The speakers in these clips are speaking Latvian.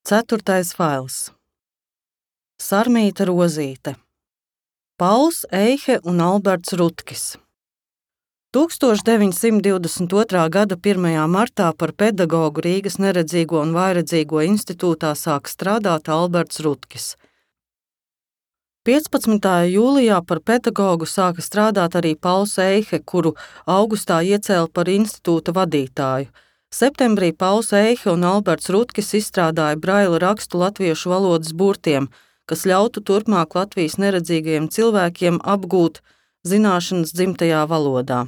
Ceturtais fails. Sarmīta Rozīte. Pauls Eihe un Alberts Rutkis. 1922. gada 1. martā par pedagogu Rīgas neredzīgo un vājredzīgo institūtā sāk strādāt Alberts Rutkis. 15. jūlijā par pedagogu sāka strādāt arī Pauls Eihe, kuru augustā iecēla par institūta vadītāju. Septembrī Pauls Eihe un Alberts Rutkis izstrādāja braila rakstu latviešu valodas burtiem, kas ļautu turpmāk Latvijas neredzīgajiem cilvēkiem apgūt zināšanas dzimtajā valodā.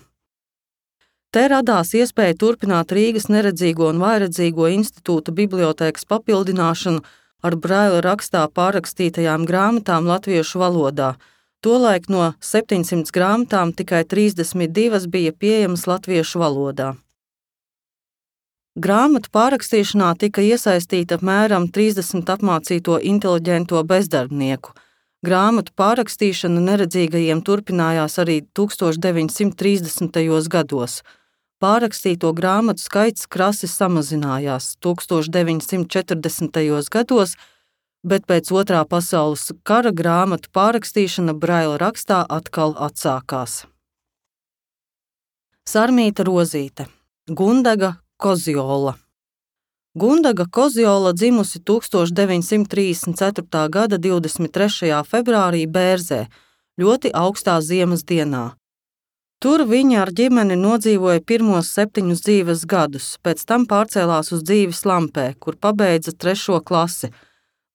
Te radās iespēja turpināt Rīgas neredzīgo un vājredzīgo institūta bibliotēkas papildināšanu ar braila rakstā pārrakstītajām grāmatām latviešu valodā. Tolaik no 700 grāmatām tikai 32 bija pieejamas latviešu valodā. Grāmatu pārrakstīšanā tika iesaistīta apmēram 30 apmācīto inteliģento bezdarbnieku. Grāmatu pārrakstīšana neredzīgajiem turpinājās arī 1930. gados. Pārrakstīto grāmatu skaits krasi samazinājās 1940. gados, bet pēc Otrā pasaules kara grāmatu pārrakstīšana braila rakstā atkal atsākās. Sarmīta Rozīte. Gundaga Kozjola. Gundaga Kozjola dzimusi 1934. gada 23. februārī Bērzē, ļoti augstā ziemas dienā. Tur viņa ar ģimeni nodzīvoja pirmos 7 dzīves gadus, pēc tam pārcēlās uz dzīvi Slampē, kur pabeidza 3. klasi.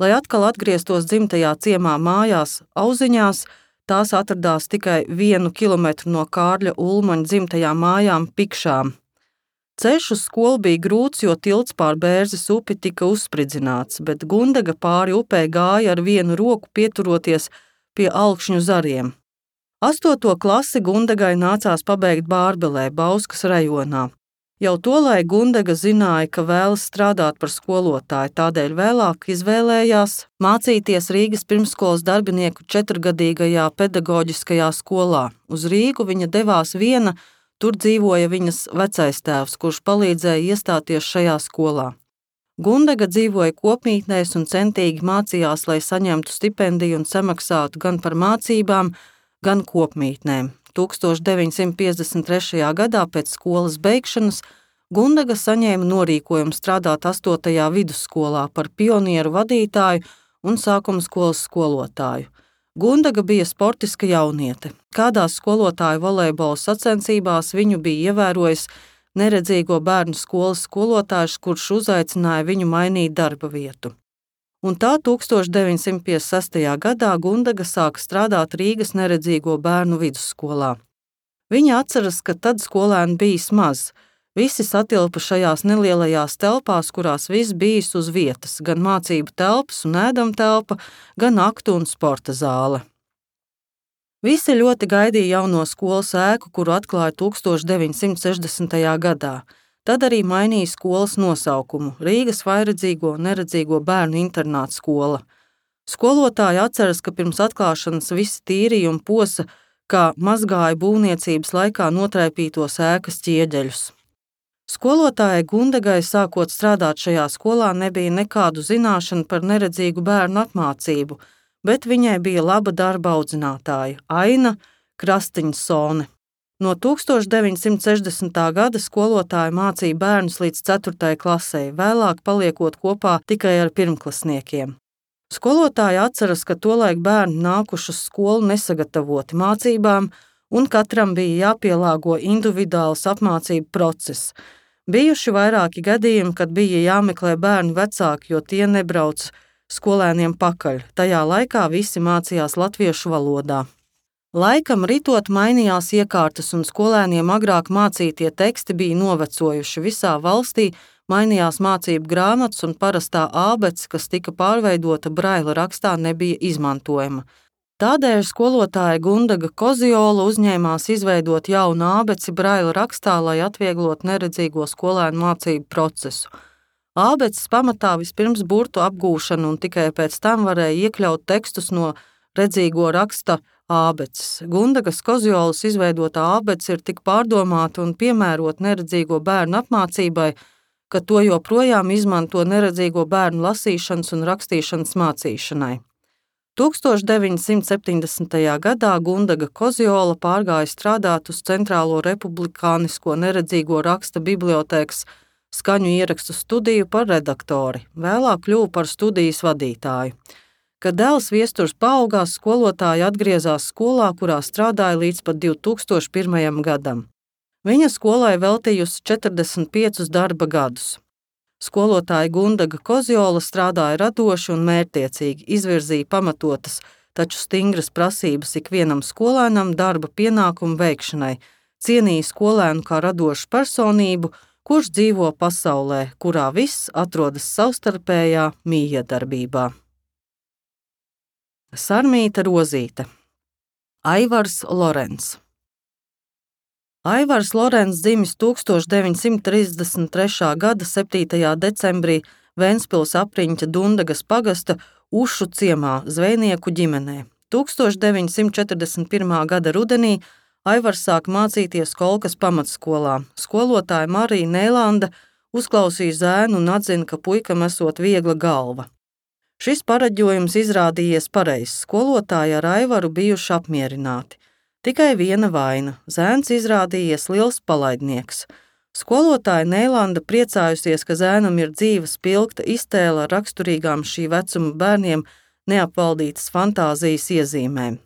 Lai atkal atgrieztos dzimtajā ciemā mājās, Auziņās, tās atradās tikai 1 kilometru no Kārļa Ulmaņa dzimtajām mājām Pikšām. Ceļš uz skolu bija grūts, jo tilts pār Bērzes upi tika uzspridzināts, bet Gundaga pāri upē gāja ar vienu roku pieturoties pie Alkšņu zariem. 8. klasi Gundagai nācās pabeigt Bārbelē, Bauskas rajonā. Jau tolaik Gundaga zināja, ka vēlas strādāt par skolotāju, tādēļ vēlāk izvēlējās mācīties Rīgas pirmsskolas darbinieku 4-gadīgajā pedagoģiskajā skolā. Uz Rīgu viņa devās viena, tur dzīvoja viņas vecais tēvs, kurš palīdzēja iestāties šajā skolā. Gundaga dzīvoja kopmītnēs un centīgi mācījās, lai saņemtu stipendiju un samaksātu gan par mācībām, gan kopmītnēm. 1953. gadā pēc skolas beigšanas Gundaga saņēma norīkojumu strādāt 8. vidusskolā par pionieru vadītāju un sākumskolas skolotāju. Gundaga bija sportiska jauniete. Kādās skolotāju volejbola sacensībās viņu bija ievērojis neredzīgo bērnu skolas skolotājs, kurš uzaicināja viņu mainīt darba vietu. Un tā 1956. gadā Gundaga sāka strādāt Rīgas neredzīgo bērnu vidusskolā. Viņa atceras, ka tad skolēni bijis maz. Visi satilpa šajās nelielajās telpās, kurās viss bijis uz vietas, gan mācību telpas un ēdamtelpa, gan aktu un sporta zāle. Visi ļoti gaidīja jauno skolas ēku, kuru atklāja 1960. gadā. Tad arī mainīja skolas nosaukumu – Rīgas vājredzīgo un neredzīgo bērnu internāta skola. Skolotāji atceras, ka pirms atklāšanas visi tīrīja un posa, kā mazgāja būvniecības laikā notraipītos ēkas ķieģeļus. Skolotājai Gundagai sākot strādāt šajā skolā nebija nekādu zināšanu par neredzīgu bērnu apmācību, bet viņai bija laba darba audzinātāja Aina Krastiņsone. No 1960. gada skolotāja mācīja bērnus līdz 4. klasei, vēlāk paliekot kopā tikai ar pirmklasniekiem. Skolotāja atceras, ka tolaik bērni nākuši uz skolu nesagatavoti mācībām, un katram bija jāpielāgo individuāls apmācību process. Bijuši vairāki gadījumi, kad bija jāmeklē bērnu vecāki, jo tie nebrauc skolēniem pakaļ. Tajā laikā visi mācījās latviešu valodā. Laikam ritot mainījās iekārtas un skolēniem agrāk mācītie teksti bija novecojuši. Visā valstī mainījās mācību grāmatas un parastā ābece, kas tika pārveidota braila rakstā, nebija izmantojama. Tādēļ skolotāja Gundaga Kozjola uzņēmās izveidot jaunu ābeci braila rakstā, lai atvieglotu neredzīgo skolēnu mācību procesu. Ābeces pamatā vispirms burtu apgūšanu un tikai pēc tam varēja iekļaut tekstus no redzīgo raksta ābeces. Gundagas Kozjolas izveidotā ābece ir tik pārdomāta un piemērota neredzīgo bērnu apmācībai, ka to joprojām izmanto neredzīgo bērnu lasīšanas un rakstīšanas mācīšanai. 1970. gadā Gundaga Kozjola pārgāja strādāt uz Centrālo republikānisko neredzīgo raksta bibliotēkas skaņu ierakstu studiju par redaktori, vēlāk kļuva par studijas vadītāju. Kad dēls Viesturs paaugās, skolotāja atgriezās skolā, kurā strādāja līdz pat 2001. gadam. Viņa skolai veltījusi 45 darba gadus. Skolotāja Gundaga Kozjola strādāja radoši un mērķtiecīgi, izvirzīja pamatotas, taču stingras prasības ikvienam skolēnam darba pienākumu veikšanai, cienīja skolēnu kā radošu personību, kurš dzīvo pasaulē, kurā viss atrodas savstarpējā mijiedarbībā. Sarmīta Rozīte. Aivars Lorens. Aivars Lorens dzimis 1933. gada 7. decembrī Ventspils apriņķa Dundagas pagasta Ušu ciemā zvejnieku ģimenē. 1941. gada rudenī Aivars sāk mācīties Kolkas pamatskolā. Skolotāja Marija Nēlanda uzklausīja zēnu un atzina, ka puikam esot viegla galva. Šis paraģojums izrādījies pareizs. Skolotāji ar Aivaru bijuši apmierināti. Tikai viena vaina – zēns izrādījies liels palaidnieks. Skolotāja Nēlanda priecājusies, ka zēnam ir dzīva spilgta iztēle ar raksturīgām šī vecuma bērniem neapvaldītas fantāzijas iezīmēm.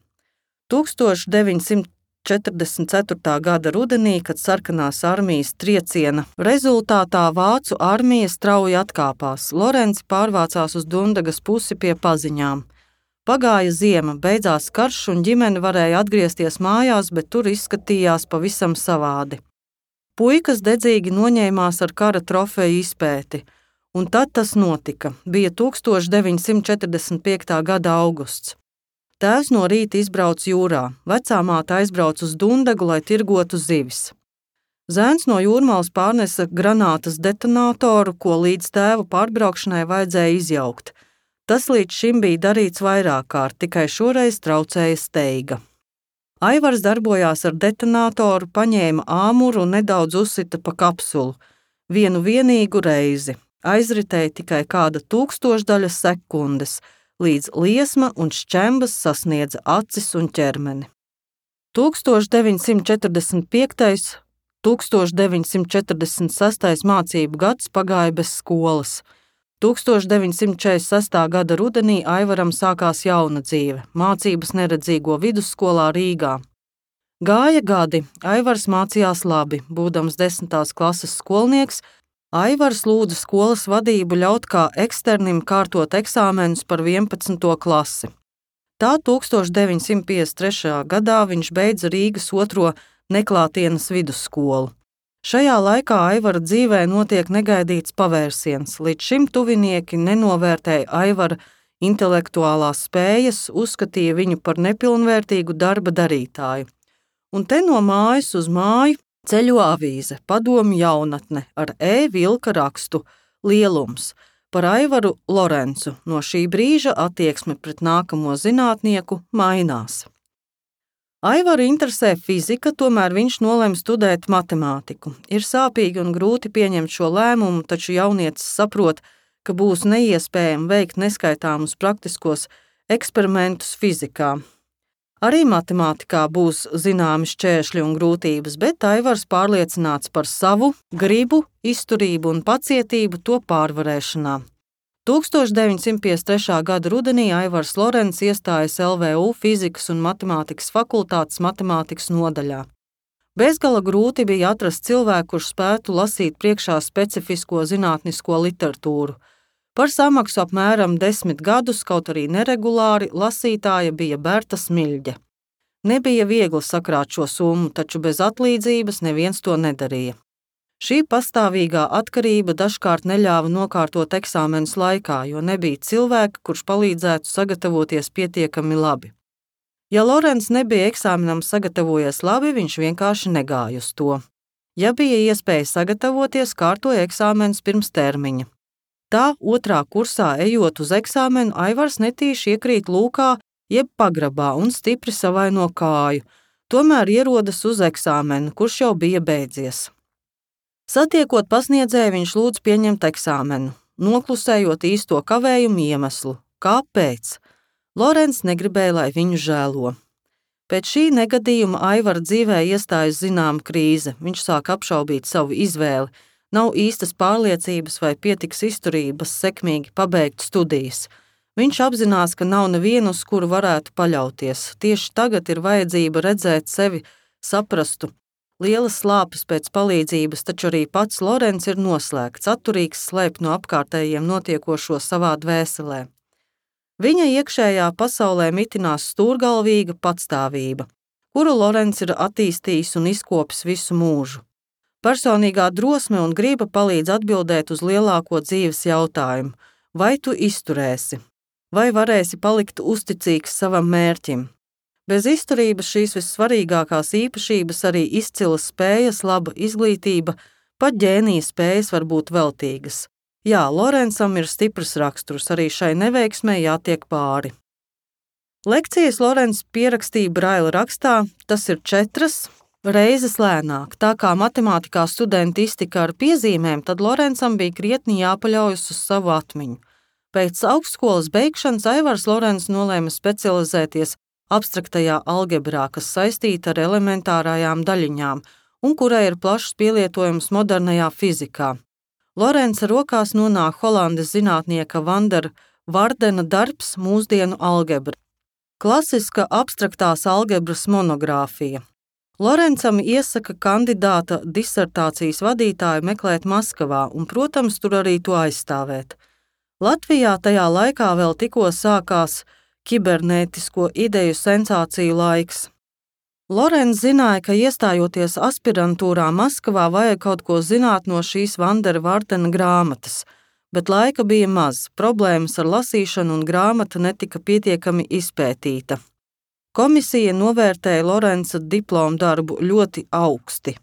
1944. gada rudenī, kad sarkanās armijas trieciena rezultātā vācu armija strauji atkāpās, Lorenci pārvācās uz Dundagas pusi pie paziņām. Pagāja ziema, beidzās karš un ģimene varēja atgriezties mājās, bet tur izskatījās pavisam savādi. Puikas dedzīgi noņēmās ar kara trofeju izpēti, un tad tas notika. Bija 1945. gada augusts. Tēvs no rīta izbrauc jūrā, vecā māte aizbrauc uz Dundagu, lai tirgotu zivis. Zēns no Jūrmalas pārnesa granātas detonātoru, ko līdz tēva pārbraukšanai vajadzēja izjaukt. Tas līdz šim bija darīts vairāk kārt, tikai šoreiz traucēja steiga. Aivars darbojās ar detonātoru, paņēma āmuru un nedaudz uzsita pa kapsulu. Vienu vienīgu reizi. Aizritēja tikai kāda tūkstošdaļa sekundes, līdz liesma un šķembas sasniedza acis un ķermeni. 1945. 1946. mācību gads pagāja bez skolas. 1946. gada rudenī Aivaram sākās jauna dzīve, mācības neredzīgo vidusskolā Rīgā. Gāja gadi, Aivars mācījās labi, būdams 10. klases skolnieks, Aivars lūdza skolas vadību ļaut kā eksternim kārtot eksāmenus par 11. klasi. Tā 1953. gadā viņš beidza Rīgas 2. neklātienes vidusskolu. Šajā laikā Aivara dzīvē notiek negaidīts pavērsiens. Līdz šim tuvinieki nenovērtēja Aivara intelektuālās spējas, uzskatīja viņu par nepilnvērtīgu darba darītāju. Un te no mājas uz māju ceļo avīze Padomju jaunatne ar vilka rakstu Lielums par Aivaru Lorencu. No šī brīža attieksme pret nākamo zinātnieku mainās. Aivaru interesē fizika, tomēr viņš nolēma studēt matemātiku. Ir sāpīgi un grūti pieņemt šo lēmumu, taču jaunietis saprot, ka būs neiespējami veikt neskaitāmus praktiskos eksperimentus fizikā. Arī matemātikā būs zināmi šķēršļi un grūtības, bet Aivars pārliecināts par savu gribu, izturību un pacietību to pārvarēšanā. 1953. gada rudenī Aivars Lorens iestājas LVU fizikas un matemātikas fakultātes matemātikas nodaļā. Bezgala grūti bija atrast cilvēku, kurš spētu lasīt priekšā specifisko zinātnisko literatūru. Par samaksu apmēram 10 gadus, kaut arī neregulāri, lasītāja bija Berta Smiļģe. Nebija viegli sakrāt šo summu, taču bez atlīdzības neviens to nedarīja. Šī pastāvīgā atkarība dažkārt neļāva nokārtot eksāmenus laikā, jo nebija cilvēka, kurš palīdzētu sagatavoties pietiekami labi. Ja Lorens nebija eksāmenam sagatavojies labi, viņš vienkārši negāja uz to. Ja bija iespēja sagatavoties, kārtoja eksāmenus pirms termiņa. Tā 2. kursā ejot uz eksāmenu, Aivars netīši iekrīt lūkā jeb pagrabā un stipri savaino kāju, tomēr ierodas uz eksāmenu, kurš jau bija beidzies. Satiekot pasniedzēju, viņš lūdz pieņemt eksāmenu, noklusējot īsto kavējumu iemeslu. Kāpēc? Lorence negribēja, lai viņu žēlo. Pēc šī negadījuma Aivara dzīvē iestājas zināma krīze. Viņš sāk apšaubīt savu izvēli. Nav īstas pārliecības vai pietiks izturības sekmīgi pabeigt studijas. Viņš apzinās, ka nav nevienu, uz kuru varētu paļauties. Tieši tagad ir vajadzība redzēt sevi, saprastu. Lielas slāpes pēc palīdzības, taču arī pats Lorence ir noslēgts, atturīgs slēpt no apkārtējiem notiekošo savā dvēselē. Viņa iekšējā pasaulē mitinās stūrgalvīga patstāvība, kuru Lorence ir attīstījis un izkopis visu mūžu. Personīgā drosme un griba palīdz atbildēt uz lielāko dzīves jautājumu – vai tu izturēsi? Vai varēsi palikt uzticīgs savam mērķim? Bez izturības šīs vissvarīgākās īpašības, arī izcilas spējas, laba izglītība, pat ģēnija spējas var būt veltīgas. Jā, Lorencam ir stiprs raksturs, arī šai neveiksmei jātiek pāri. Lekcijas Lorence pierakstīja braila rakstā, tas ir 4 reizes lēnāk. Tā kā matemātikā studenti iztika ar piezīmēm, tad Lorencam bija krietni jāpaļaujas uz savu atmiņu. Pēc augstskolas beigšanas Aivars Lorence nolēma specializēties abstraktajā algebrā, kas saistīta ar elementārajām daļiņām un kurai ir plašs pielietojums modernajā fizikā. Lorence rokās nonāk Holandes zinātnieka Vandera Vardena darbs Mūsdienu algebra. Klasiska abstraktās algebras monogrāfija. Lorencam iesaka kandidāta disertācijas vadītāju meklēt Maskavā un, protams, tur arī to aizstāvēt. Latvijā tajā laikā vēl tikko sākās kibernētisko ideju sensāciju laiks. Lorence zināja, ka iestājoties aspirantūrā Maskavā vajag kaut ko zināt no šīs Vandera Vardena grāmatas, bet laika bija maz, problēmas ar lasīšanu un grāmata netika pietiekami izpētīta. Komisija novērtēja Lorenca diplomu darbu ļoti augsti,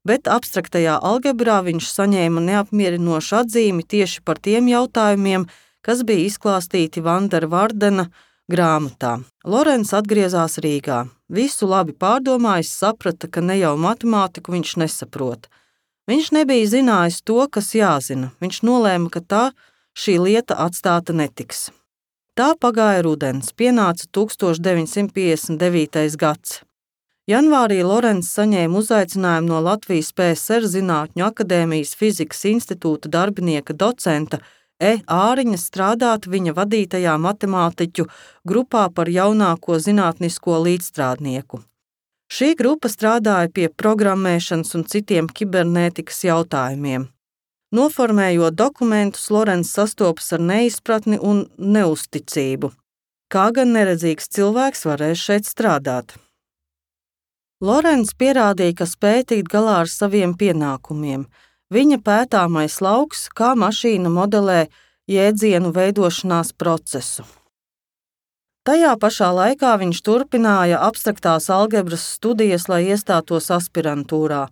bet abstraktajā algebrā viņš saņēma neapmierinošu atzīmi tieši par tiem jautājumiem, kas bija izklāstīti Vandera Vardena grāmatā. Lorence atgriezās Rīgā. Visu labi pārdomājis, saprata, ka ne jau matemātiku viņš nesaprot. Viņš nebija zinājis to, kas jāzina. Viņš nolēma, ka šī lieta atstāta netiks. Tā pagāja rudens, pienāca 1959. gads. Janvārī Lorence saņēma uzaicinājumu no Latvijas PSR Zinātņu akadēmijas fizikas institūta darbinieka docenta Āriņa strādāt viņa vadītajā matemātiķu grupā par jaunāko zinātnisko līdzstrādnieku. Šī grupa strādāja pie programmēšanas un citiem kibernētikas jautājumiem. Noformējot dokumentus, Lorence sastopas ar neizpratni un neusticību. Kā gan neredzīgs cilvēks varēs šeit strādāt? Lorence pierādīja, ka spēj tikt galā ar saviem pienākumiem. Viņa pētāmais lauks, kā mašīna modelē jēdzienu veidošanās procesu. Tajā pašā laikā viņš turpināja abstraktās algebras studijas, lai iestātos aspirantūrā,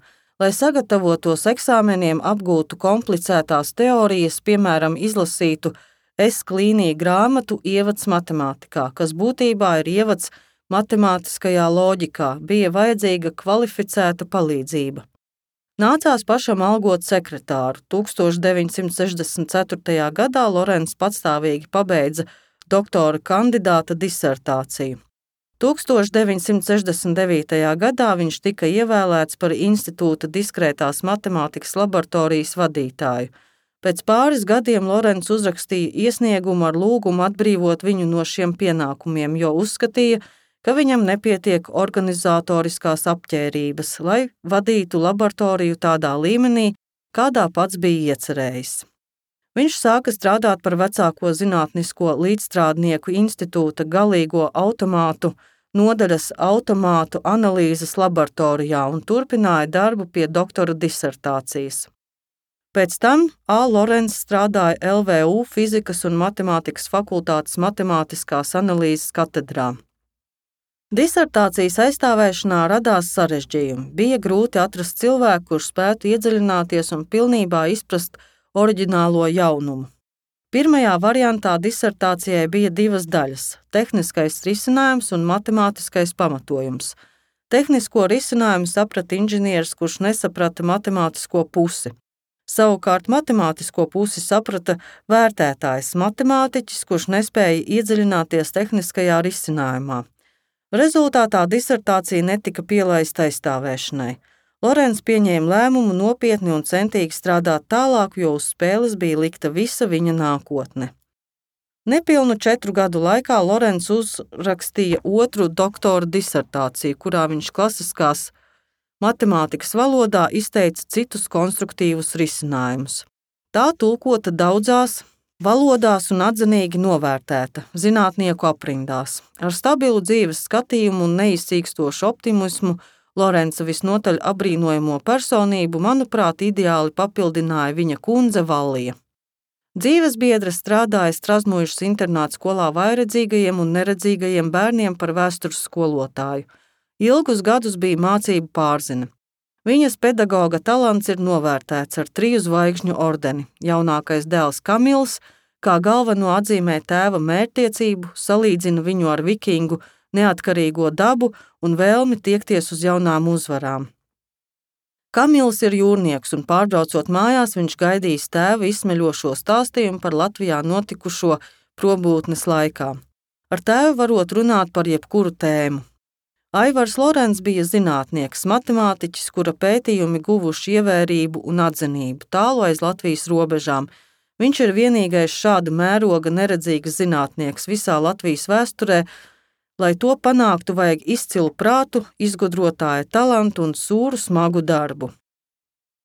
lai sagatavotos eksāmeniem, apgūtu komplicētās teorijas, piemēram, izlasītu S-klīnija grāmatu Ievads matemātikā, kas būtībā ir ievads matemātiskajā loģikā, bija vajadzīga kvalificēta palīdzība. Nācās pašam algot sekretāru. 1964. gadā Lorence patstāvīgi pabeidza doktora kandidāta disertāciju. 1969. gadā viņš tika ievēlēts par institūta diskrētās matemātikas laboratorijas vadītāju. Pēc pāris gadiem Lorence uzrakstīja iesniegumu ar lūgumu atbrīvot viņu no šiem pienākumiem, jo uzskatīja, ka viņam nepietiek organizatoriskās apķērības, lai vadītu laboratoriju tādā līmenī, kādā pats bija iecerējis. Viņš sāka strādāt par vecāko zinātnisko līdzstrādnieku institūta galīgo automātu nodaļas automātu analīzes laboratorijā un turpināja darbu pie doktora disertācijas. Pēc tam Lorence strādāja LVU fizikas un matemātikas fakultātes matemātiskās analīzes katedrā. Disertācijas aizstāvēšanā radās sarežģījumi. Bija grūti atrast cilvēku, kurš spētu iedziļināties un pilnībā izprast oriģinālo jaunumu. Pirmajā variantā disertācijai bija 2 daļas – tehniskais risinājums un matemātiskais pamatojums. Tehnisko risinājumu saprata inženieris, kurš nesaprata matemātisko pusi. Savukārt matemātisko pusi saprata vērtētājs matemātiķis, kurš nespēja iedziļināties tehniskajā risinājumā. Rezultātā disertācija netika pielaista aizstāvēšanai. Lorenz pieņēma lēmumu nopietni un centīgi strādāt tālāk, jo uz spēles bija likta visa viņa nākotne. Nepilnu 4 gadu laikā Lorenz uzrakstīja otru doktora disertāciju, kurā viņš klasiskās matemātikas valodā izteica citus konstruktīvus risinājumus. Tā tulkota daudzās valodās un atzinīgi novērtēta zinātnieku aprindās. Ar stabilu dzīves skatījumu un neizsīkstošu optimismu Lorenza visnotaļ apbrīnojamo personību, manuprāt, ideāli papildināja viņa kundze Vallija. Dzīves biedre strādāja Strazmuižas internāta skolā vājredzīgajiem un neredzīgajiem bērniem par vēstures skolotāju. Ilgus gadus bija mācību pārzine. Viņas pedagoga talants ir novērtēts ar 3 zvaigžņu ordeni. Jaunākais dēls Kamils, kā galveno atzīmē tēva mērķtiecību, salīdzina viņu ar vikingu neatkarīgo dabu un vēlmi tiekties uz jaunām uzvarām. Kamils ir jūrnieks, un pārbraucot mājās, viņš gaidīs tēva izsmeļošo stāstījumu par Latvijā notikušo probūtnes laikā. Ar tēvu varot runāt par jebkuru tēmu. Aivars Lorenz bija zinātnieks, matemātiķis, kura pētījumi guvuši ievērību un atzinību tālu aiz Latvijas robežām. Viņš ir vienīgais šāda mēroga neredzīgs zinātnieks visā Latvijas vēsturē. Lai to panāktu, vajag izcilu prātu, izgudrotāja talantu un sūru smagu darbu.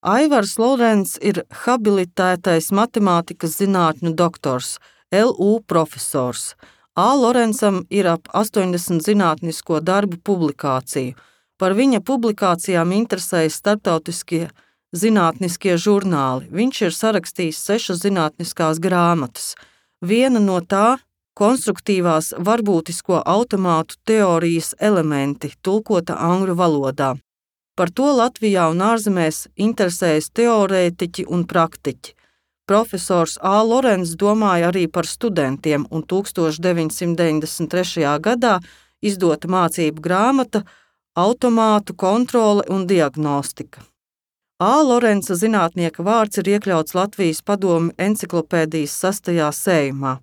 Aivars Lorenz ir habilitētais matemātikas zinātņu doktors, LU profesors. A. Lorenzam ir ap 80 zinātnisko darbu publikāciju. Par viņa publikācijām interesējas starptautiskie zinātniskie žurnāli. Viņš ir sarakstījis 6 zinātniskās grāmatas. Viena no tā konstruktīvās varbūtisko automātu teorijas elementi, tulkota angļu valodā. Par to Latvijā un ārzemēs interesējas teorētiķi un praktiķi. Profesors A. Lorenz domāja arī par studentiem, un 1993. gadā izdota mācību grāmata Automātu kontrole un diagnostika. A. Lorenza zinātnieka vārds ir iekļauts Latvijas padomju enciklopēdijas 6. sējumā.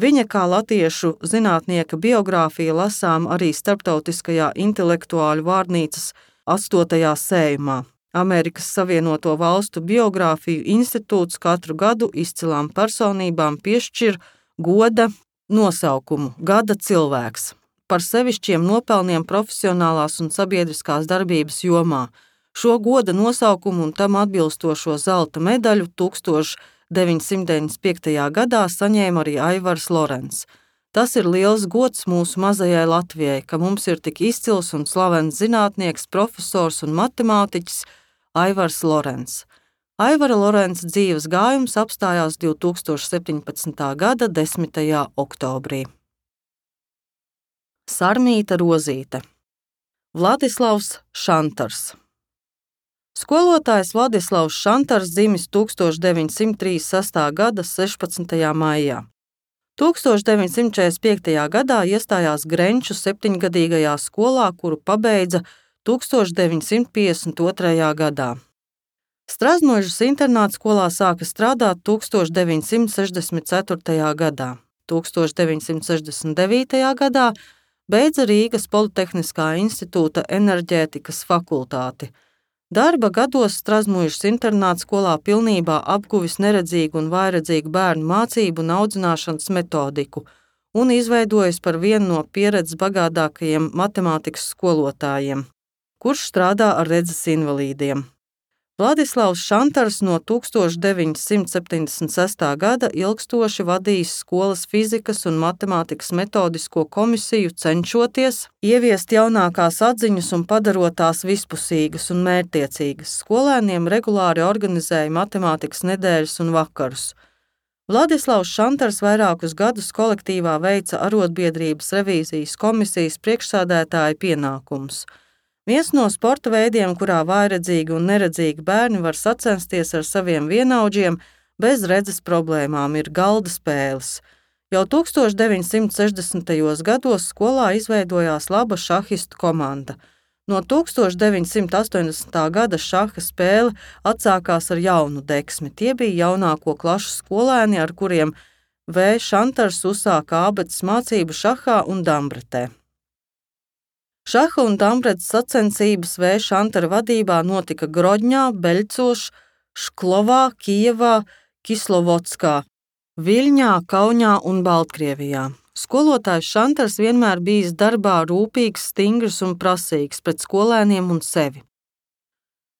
Viņa kā latviešu zinātnieka biogrāfija lasām arī Starptautiskajā intelektuāļu vārnīcas 8. sējumā. Amerikas Savienoto Valstu biogrāfiju institūts katru gadu izcilām personībām piešķir goda nosaukumu Gada cilvēks par sevišķiem nopelniem profesionālās un sabiedriskās darbības jomā. Šo goda nosaukumu un tam atbilstošo zelta medaļu 1995. gadā saņēma arī Aivars Lorenz. Tas ir liels gods mūsu mazajai Latvijai, ka mums ir tik izcils un slavens zinātnieks, profesors un matemātiķis Aivars Lorenz. Aivara Lorenza dzīves gājums apstājās 2017. gada 10. oktobrī. Sarmīta Rozīte. Vladislavs Šantars. Skolotājs Vladislavs Šantars dzimis 1936. gada 16. maijā. 1945. gadā iestājās Grenču 7-gadīgajā skolā, kuru pabeidza 1952. gadā. Strazmuižas internāta skolā sāka strādāt 1964. gadā. 1969. gadā beidza Rīgas Politehniskā institūta enerģētikas fakultāti. Darba gados Strazmuižas internāta skolā pilnībā apguvis neredzīgu un vājredzīgu bērnu mācību un audzināšanas metodiku un izveidojis par vienu no pieredzes bagātākajiem matemātikas skolotājiem, kurš strādā ar redzes invalīdiem. Vladislavs Šantars no 1976. gada ilgstoši vadījis skolas fizikas un matemātikas metodisko komisiju, cenšoties ieviest jaunākās atziņas un padarot tās vispusīgas un mērķtiecīgas. Skolēniem regulāri organizēja matemātikas nedēļas un vakarus. Vladislavs Šantars vairākus gadus kolektīvā veica arotbiedrības revīzijas komisijas priekšsēdētāja pienākumus. Viens no sporta veidiem, kurā vājredzīgi un neredzīgi bērni var sacensties ar saviem vienaudžiem bez redzes problēmām, ir galda spēles. Jau 1960. gados skolā izveidojās laba šahistu komanda. No 1980. gada šaha spēle atsākās ar jaunu deksmi. Tie bija jaunāko klašu skolēni, ar kuriem V. Šantars uzsāka ābeces mācību šahā un dambretē. Šaha un dambretes sacensības V. Šantara vadībā notika Grodņā, Beļcos, Šklovā, Kijevā, Kislovodskā, Viļņā, Kauņā un Baltkrievijā. Skolotājs Šantars vienmēr bijis darbā rūpīgs, stingrs un prasīgs pret skolēniem un sevi.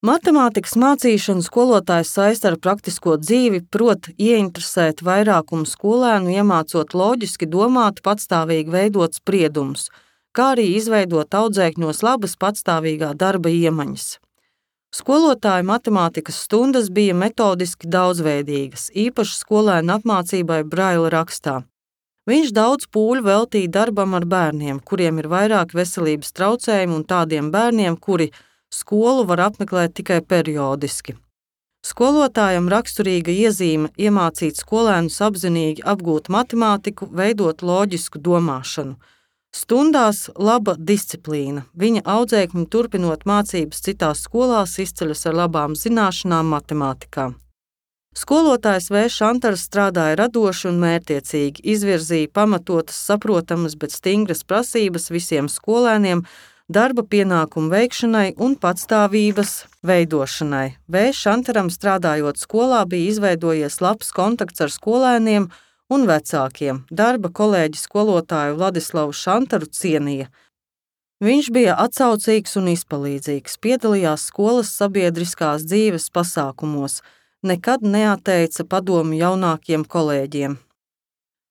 Matemātikas mācīšanu skolotājs saista ar praktisko dzīvi, proti ieinteresēt vairākumu skolēnu, iemācot loģiski domāt, patstāvīgi veidot spriedumus, kā arī izveidot audzēkņos labas patstāvīgā darba iemaņas. Skolotāja matemātikas stundas bija metodiski daudzveidīgas, īpaši skolēnu apmācībai braila rakstā. Viņš daudz pūļu veltīja darbam ar bērniem, kuriem ir vairāk veselības traucējumi un tādiem bērniem, kuri skolu var apmeklēt tikai periodiski. Skolotājam raksturīga iezīme iemācīt skolēnus apzinīgi apgūt matemātiku, veidot loģisku domāšanu. Stundās laba disciplīna. Viņa audzēkņi turpinot mācības citās skolās izceļas ar labām zināšanām matemātikā. Skolotājs V. Šantars strādāja radoši un mērķtiecīgi, izvirzīja pamatotas, saprotamas, bet stingras prasības visiem skolēniem, darba pienākumu veikšanai un patstāvības veidošanai. V. Šantaram strādājot skolā bija izveidojies labs kontakts ar skolēniem un vecākiem. Darba kolēģi skolotāju Vladislavu Šantaru cienīja. Viņš bija atsaucīgs un izpalīdzīgs, piedalījās skolas sabiedriskās dzīves pasākumos, nekad neatteica padomu jaunākiem kolēģiem.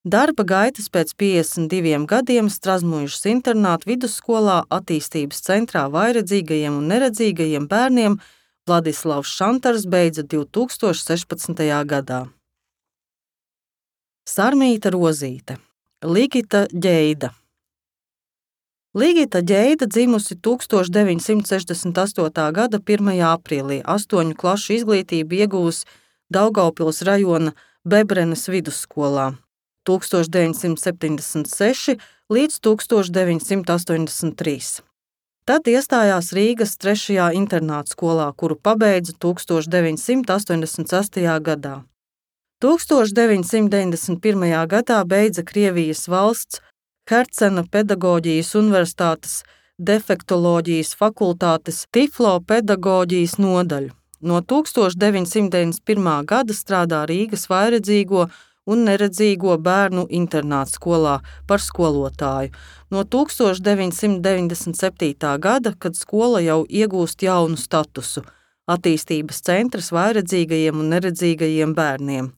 Darba gaitas pēc 52 gadiem Strazmuižas internāta vidusskolā attīstības centrā vājredzīgajiem un neredzīgajiem bērniem Vladislavs Šantars beidza 2016. gadā. Sarmīta Rozīte, Ligita Ģeida. Ligita Ģeida dzimusi 1968. gada 1. aprīlī, 8 klašu izglītību ieguvusi Daugavpils rajona Bebrenes vidusskolā 1976 līdz 1983. Tad iestājās Rīgas 3. internāta skolā, kuru pabeidza 1988. gadā. 1991. gadā beidza Krievijas valsts Hercena pedagoģijas universitātes defektoloģijas fakultātes Tiflo pedagoģijas nodaļu. No 1991. gada strādā Rīgas vājredzīgo un neredzīgo bērnu internāta skolā par skolotāju. No 1997. gada, kad skola jau iegūst jaunu statusu – attīstības centrs vājredzīgajiem un neredzīgajiem bērniem.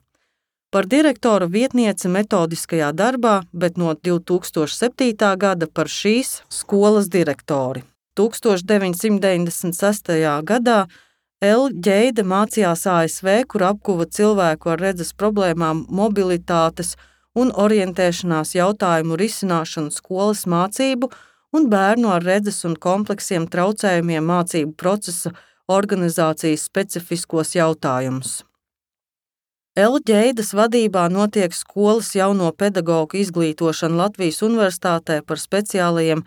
Par direktora vietnieci metodiskajā darbā, bet no 2007. gada par šīs skolas direktori. 1996. gadā L. Ģeida mācījās ASV, kur apguva cilvēku ar redzes problēmām mobilitātes un orientēšanās jautājumu risināšanu skolas mācību un bērnu ar redzes un kompleksiem traucējumiem mācību procesa organizācijas specifiskos jautājumus. L. Ģeidas vadībā notiek skolas jauno pedagogu izglītošana Latvijas Universitātē par speciālajiem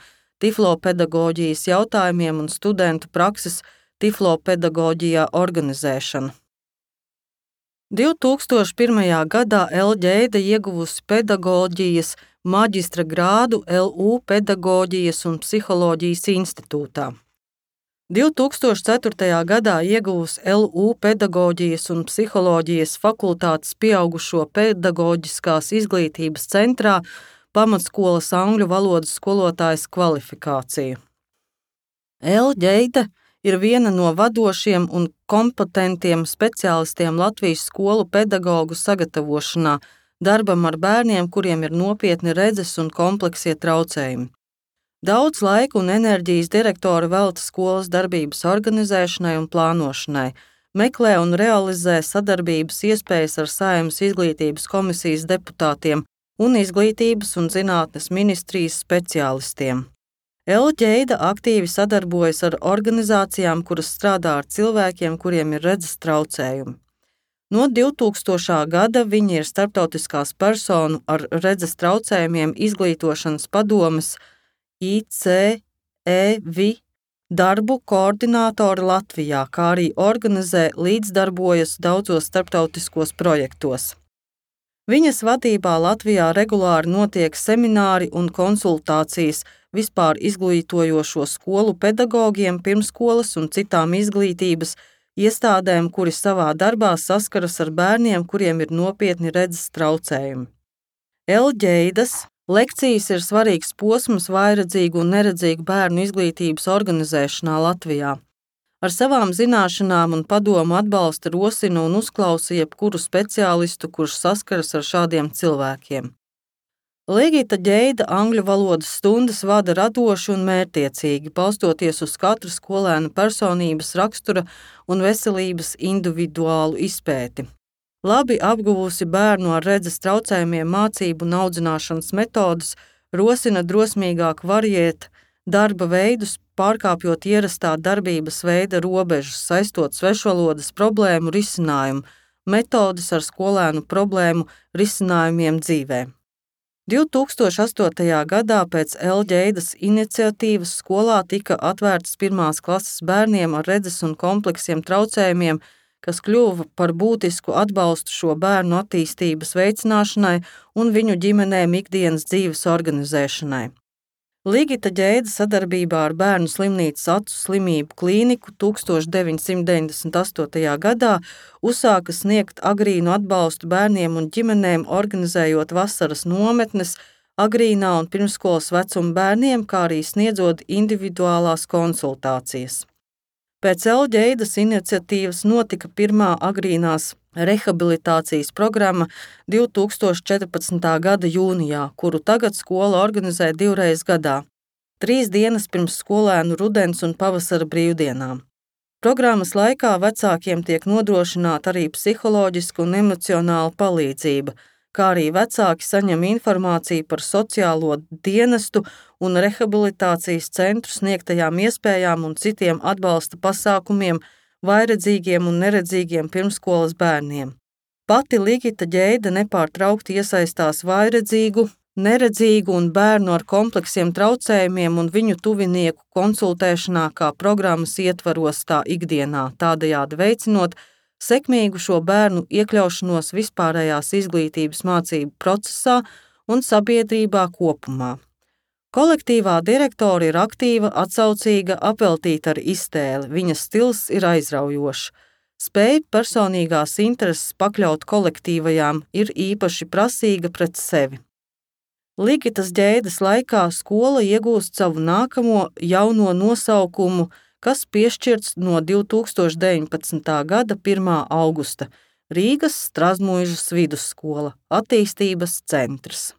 tiflopedagoģijas jautājumiem un studentu prakses tiflopedagoģijā organizēšana. 2001. gadā L. Ģeida ieguvusi pedagoģijas maģistra grādu LU Pedagoģijas un psiholoģijas institūtā. 2004. gadā ieguvusi LU Pedagoģijas un psiholoģijas fakultātes pieaugušo pedagoģiskās izglītības centrā pamatskolas angļu valodas skolotājas kvalifikāciju. L. Ģeida ir viena no vadošiem un kompetentiem speciālistiem Latvijas skolu pedagogu sagatavošanā darbam ar bērniem, kuriem ir nopietni redzes un kompleksie traucējumi. Daudz laika un enerģijas direktori velta skolas darbības organizēšanai un plānošanai, meklē un realizē sadarbības iespējas ar Saeimas izglītības komisijas deputātiem un izglītības un zinātnes ministrijas speciālistiem. L. Ģeida aktīvi sadarbojas ar organizācijām, kuras strādā ar cilvēkiem, kuriem ir redzes traucējumi. No 2000. gada viņa ir starptautiskās personu ar redzes traucējumiem izglītošanas padomes ICEVI darbu koordinātore Latvijā, kā arī organizē līdzdarbojas daudzos starptautiskos projektos. Viņas vadībā Latvijā regulāri notiek semināri un konsultācijas vispār izglītojošo skolu pedagogiem, pirmskolas un citām izglītības iestādēm, kuri savā darbā saskaras ar bērniem, kuriem ir nopietni redzes traucējumi. Elģeidas lekcijas ir svarīgs posms vājredzīgu un neredzīgu bērnu izglītības organizēšanā Latvijā. Ar savām zināšanām un padomu atbalsta, rosina un uzklausa jebkuru speciālistu, kurš saskaras ar šādiem cilvēkiem. Ligita Ģeida angļu valodas stundas vada radoši un mērķtiecīgi, balstoties uz katra skolēna personības rakstura un veselības individuālu izpēti. Labi apguvusi bērnu ar redzes traucējumiem mācību un audzināšanas metodes, rosina drosmīgāk variēt darba veidus, pārkāpjot ierastā darbības veida robežas, saistot svešvalodas problēmu risinājumu, metodes ar skolēnu problēmu risinājumiem dzīvē. 2008. gadā pēc Elģeidas iniciatīvas skolā tika atvērtas 1. klases bērniem ar redzes un kompleksiem traucējumiem, kas kļuva par būtisku atbalstu šo bērnu attīstības veicināšanai un viņu ģimenēm ikdienas dzīves organizēšanai. Ligita Ģeida sadarbībā ar Bērnu slimnīcas acu slimību klīniku 1998. gadā uzsāka sniegt agrīnu atbalstu bērniem un ģimenēm, organizējot vasaras nometnes agrīnā un pirmskolas vecuma bērniem, kā arī sniedzot individuālās konsultācijas. Pēc Elģeidas iniciatīvas notika pirmā agrīnās rehabilitācijas programma 2014. gada jūnijā, kuru tagad skola organizē 2 reizes gadā, 3 dienas pirms skolēnu rudens un pavasara brīvdienām. Programmas laikā vecākiem tiek nodrošināta arī psiholoģiska un emocionāla palīdzība, kā arī vecāki saņem informāciju par sociālo dienestu un rehabilitācijas centru sniegtajām iespējām un citiem atbalsta pasākumiem vājredzīgiem un neredzīgiem pirmskolas bērniem. Pati Ligita Ģeida nepārtraukti iesaistās vājredzīgu, neredzīgu un bērnu ar kompleksiem traucējumiem un viņu tuvinieku konsultēšanā kā programmas ietvaros tā ikdienā, tādējādi veicinot sekmīgu šo bērnu iekļaušanos vispārējās izglītības mācību procesā un sabiedrībā kopumā. Kolektīvā direktore ir aktīva, atsaucīga, apveltīta ar iztēli, viņas stils ir aizraujošs. Spēja personīgās intereses pakļaut kolektīvajām ir īpaši prasīga pret sevi. Ligitas Ģeidas laikā skola iegūst savu nākamo jauno nosaukumu, kas piešķirts no 2019. gada 1. augusta Rīgas Strazmuižas vidusskola, attīstības centrs.